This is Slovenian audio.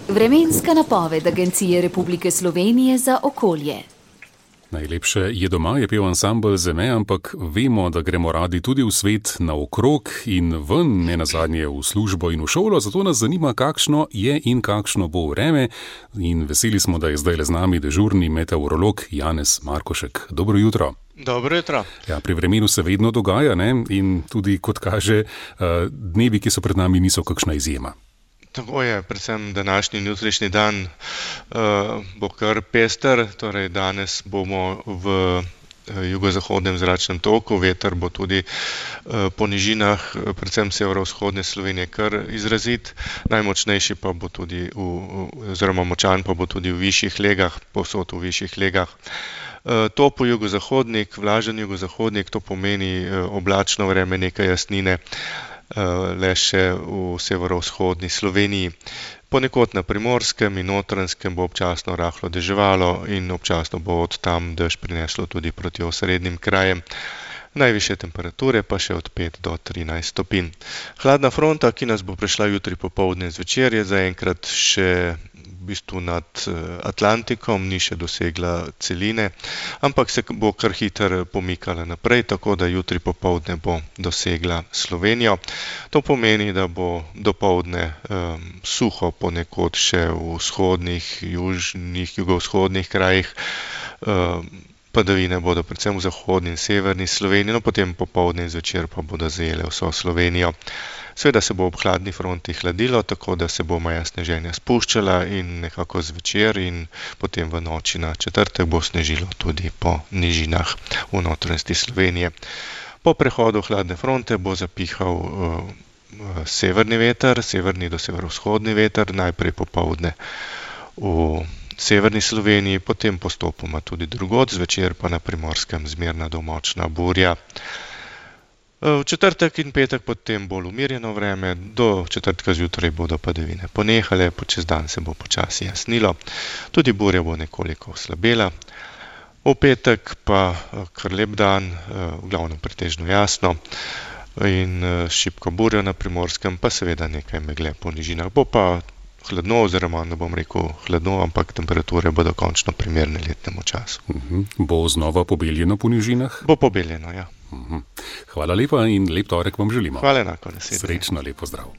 Vremenska napoved Agencije Republike Slovenije za okolje. Najlepše je doma, je pel ansambel Zeme, ampak vemo, da gremo radi tudi v svet naokrog in ven, ne nazadnje v službo in v šolo, zato nas zanima, kakšno je in kakšno bo vreme. In veseli smo, da je zdaj z nami dežurni meteorolog Janez Markošek. Dobro jutro. Dobro jutro. Ja, pri vremenu se vedno dogaja, ne? In tudi, kot kaže, dnevi, ki so pred nami, niso kakšna izjema. Tako je, predvsem današnji in jutrišnji dan bo kar pester, torej danes bomo v jugozahodnem zračnem toku, veter bo tudi po nižinah, predvsem severovzhodne Slovenije, kar izrazit, najmočnejši pa bo tudi, oziroma močan pa bo tudi v višjih legah, povsod v višjih legah. Topel jugozahodnik, vlažen jugozahodnik, to pomeni oblačno vreme, nekaj jasnine, le še v severovzhodni Sloveniji. Ponekod na Primorskem in Notranjskem bo občasno rahlo deževalo in občasno bo od tam dež prineslo tudi proti osrednjim krajem. Najvišje temperature pa še od 5 do 13 stopinj. Hladna fronta, ki nas bo prešla jutri popoldne zvečer, je zaenkrat še v bistvu nad Atlantikom, ni še dosegla celine, ampak se bo kar hitro pomikala naprej, tako da jutri popoldne bo dosegla Slovenijo. To pomeni, da bo dopoldne suho ponekod še v vzhodnih, južnih, jugovzhodnih krajih. Padavine bodo predvsem v zahodni in severni Sloveniji, no potem popoldne in zvečer pa bodo zajele vso Slovenijo. Seveda se bo ob hladni fronti hladilo, tako da se bo meja sneženja spuščala in nekako zvečer in potem v noči na četrtek bo snežilo tudi po nižinah v notranjosti Slovenije. Po prehodu hladne fronte bo zapihal severni veter, severni do severovzhodni veter, najprej popoldne v severni Sloveniji, potem postopoma tudi drugod, zvečer pa na Primorskem zmerna do močna burja. V četrtek in petek potem bolj umirjeno vreme, do četrtka zjutraj bodo padavine ponehale, čez dan se bo počasi jasnilo, tudi burja bo nekoliko oslabela. V petek pa kar lep dan, v glavnem pretežno jasno in šibko burjo na Primorskem, pa seveda nekaj megle po nižinah. Bo pa hladno, oziroma ne bom rekel hladno, ampak temperature bodo končno primerne letnemu času. Bo znova pobeljeno po nižinah? Bo pobeljeno, ja. Hvala lepa in lep torek vam želimo. Hvala enako, naslednje. Srečno, lep pozdrav.